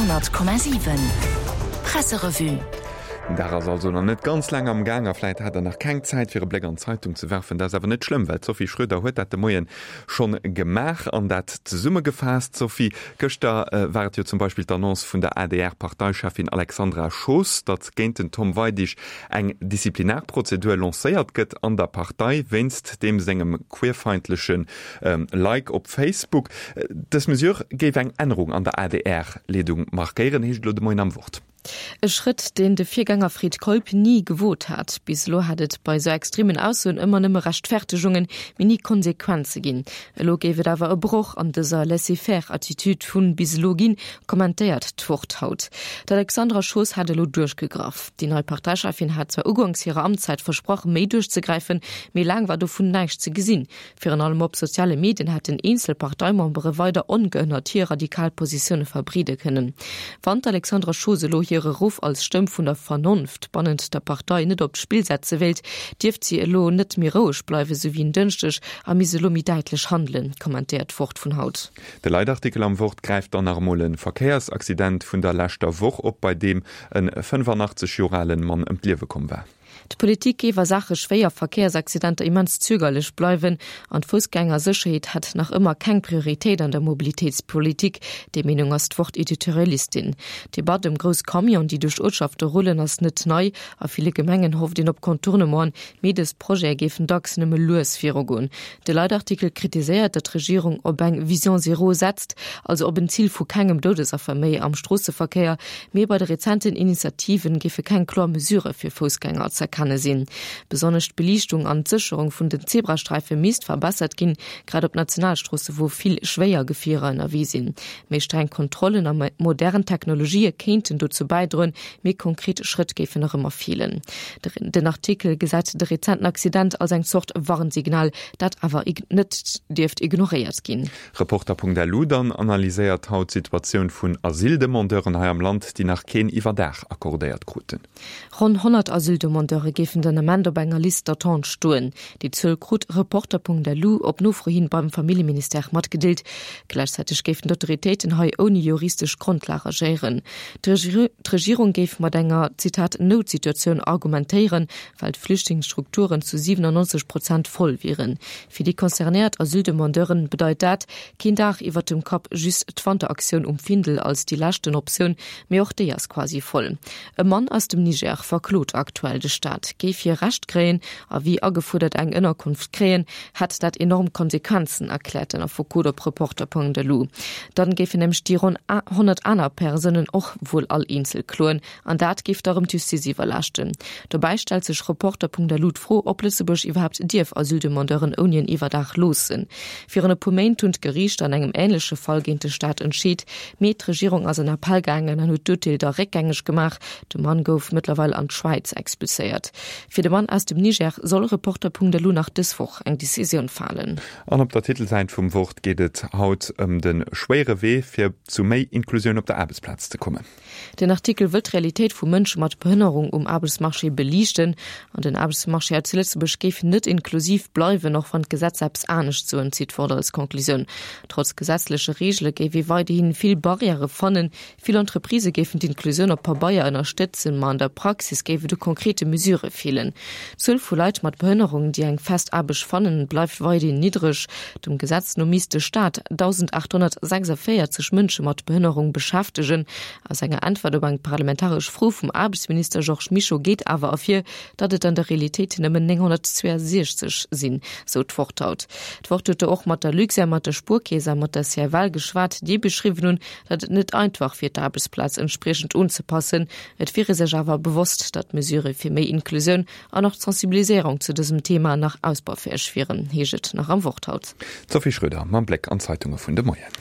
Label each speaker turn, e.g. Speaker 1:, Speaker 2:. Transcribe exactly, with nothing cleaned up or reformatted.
Speaker 1: Honnert Komma siwen Presserevue.
Speaker 2: Den Dag ass also nach net ganz laang am Gaang a vläit hat der nach keng Zäit fir e Bléck an d'Zeitung ze werfen. Dat ass awer net schlëmm, well d'Sophie Schröder huet dat de Moien schonn gemaach an dat zesummegefaasst. Sophie, gëschter war et jo zum Beispill d'Annonce vun der A D R-Parteicheffin Alexandra Schoos, datt géint den Tom Weidig eng Disziplinarprozedur lancéiert gëtt an der Partei wéinst deem sengem queerfeindleche Like op Facebook. Dës Mesure géif eng Ännerung an der A D R-Leedung markéieren, heescht et elo de Moien am Wort.
Speaker 3: E Schrëtt, deen de Virgänger Fred Keup ni gewot hat. Bis elo hat et bei sou extremen Aussoen ëmmer nëmme Rechtfertegungen, mee ni Konsequenze ginn. Elo géif et awer e Broch an dëser Laissez-faire-Attitude vu bis elo ginn, kommentéiert d'Wort haut. D'Alexandra Schoos hat elo duerchgegraff. Déi nei Parteicheffin hat zwar uganks hirer Amtszäit versprach, méi duerchzegräifen, mee laang war dovun näischt ze gesinn. Virun allem op soziale Medien hätten eenzel Parteimembere weider ongehënnert hir radikal Positioune verbreede kënnen. Wann d'Alexandra Schoos elo hire Ruff als Stëmm vun der Vernonft bannent der Partei net op d'Spill setze wéilt, dierft si elo net méi roueg bleiwen, sou wéi en Dënschdeg, a misst elo méi däitlech handelen, kommentéiert d'Wort vun haut.
Speaker 2: De Leitartikel am Wort gräift dann nach emol e Verkéiersaccident vun der leschter Woch op, bei deem e fënnefanachtzeeg Joer ale Mann ëm d'Liewe komm war.
Speaker 3: D'Politik géif a Saache schwéier Verkéiersaccidenter immens zögerlech bleiwen an d'Foussgängersécherheet hätt nach ëmmer keng Prioritéit an der Mobilitéitspolitik, déi Meenung ass d'Wort-Editorialistin. D'Debatt ëm grouss Camionen, déi duerch Uertschafte rullen, ass net nei. A ville Gemengen hofft een op Contournementen, mee dës Projete géifen dacks nëmme lues virugoen. De Leitartikel kritiséiert, datt d'Regierung op eng Vision zéro setzt, also op en Zil vu kengem Doudesaffer méi am Stroosseverkéier, mee bei de rezenten Initiativen géife keng kloer Mesurë fir Foussgänger z'erkenne sinn. Besonnesch d'Beliichtung an d'Sécherung vun den Zebrasträife misst verbessert ginn, grad op Nationalstroosse wou vill schwéier Gefierer ënnerwee sinn. Méi streng Kontrollen a modern Technologië kéinten dozou bäidroen, mee konkret Schrëtt géifen nach ëmmer feelen. Den Artikel gesäit de rezenten Accident als eng Zort Warnsignal, dat awer net dierft ignoréiert ginn.
Speaker 2: Reporter Punkt L U dann analyséiert haut d'Situatioun vun Asyldemandeuren hei am Land, déi nach keen Iwwerdaach accordéiert kruten.
Speaker 3: Ronn honnert Asyldemandeure géifen den Ament op enger Liste d'attente stoen. Déi Zuel krut Reporter Punkt L U op Nofro hin beim Familljeministère matgedeelt. Gläichzäiteg géifen d'Autoritéiten hei ouni juristesch Grondlag agéieren. D'Regierung géif mat enger, Zitat, Noutsituatioun argumentéieren, well d'Flüchtlingsstrukturen zu siwenannonzeg Prozent voll wieren. Fir déi concernéiert Asyldemandeuren bedeit dat, keen Daach iwwert dem Kapp, just d'Wanteraktioun um Findel als déi leschten Optioun, mee och déi ass quasi voll. E Mann aus dem Niger verklot aktuell de Staat. Géif hie Recht kréien a wéi agefuerdert eng Ënnerkonft kréien, hätt dat enorm Konsequenzen, erkläert den Affekot op Reporter Punkt L U. Dann géifen nämlech déi ronn honnert aner Persounen och wuel all eenzel kloen, an dat géif da rëm d'Justiz iwwerlaaschten. Dobäi stellt sech Reporter Punkt L U d'Fro, ob Lëtzebuerg iwwerhaapt dierf Asyldemandeuren ouni en Iwwerdaach loossen. Virun e puer Méint hunn d'Geriichter an engem änleche Fall géint de Staat entscheet, mee d'Regierung ass an Appell gaangen an huet d'Urteel da réckgängeg gemaach. De Mann gouf mëttlerweil an d'Schwäiz expulséiert. Fir de Mann aus dem Niger soll Reporter Punkt L U nach dës Woch eng Decisioun falen.
Speaker 2: An op der Titelsäit vum Wort geet et haut ëm de schwéiere Wee fir zu méi Inklusioun op der Aarbechtsplaz ze kommen.
Speaker 3: Den Artikel wëll d'Realitéit vu Mënsche mat Behënnerung um Aarbechtsmarché beliichten. An den Aarbechtsmarché hei zu Lëtzebuerg géif net inklusiv bleiwen, och wann d'Gesetzer eppes anescht soen, zitt d'Wort als Conclusioun. Trotz gesetzleche Reegele géif ee weiderhi vill Barrièrë fannen. Vill Entreprisë géifen d'Inklusioun op Pabeier ënnerstëtzen, ma an der Praxis géif et u konkrete Mesurë feelen. D'Zuel vu Leit mat Behënnerung, déi eng fest Aarbecht fannen, bleift weiderhin niddreg. Dem Gesetz no misst de Staat dausendaathonnertsechsundvéierzeg Mënsche mat Behënnerung beschäftegen. Aus enger Äntwert op eng parlamentaresch Fro vum Aarbechtsminister Georges Mischo geet awer ervir, datt et an der Realitéit nëmmen nénghonnertzwouesechzeg sinn, sou d'Wort haut. D'Wort huet do och mat der Luxair, mat der Spuerkeess a mat der C F L geschwat, déi beschriwwen hunn, datt et net einfach wier, d'Aarbechtsplaz entspriechend unzepassen. Et wier ee sech awer bewosst, datt Mesurë fir méi Inklusioun an och d'Sensibiliséierung zu dësem Thema nach ausbaufäeg wieren, heescht et nach am Wort haut.
Speaker 2: D'Sophie Schröder mam Bléck an d'Zeitunge vun de Moien.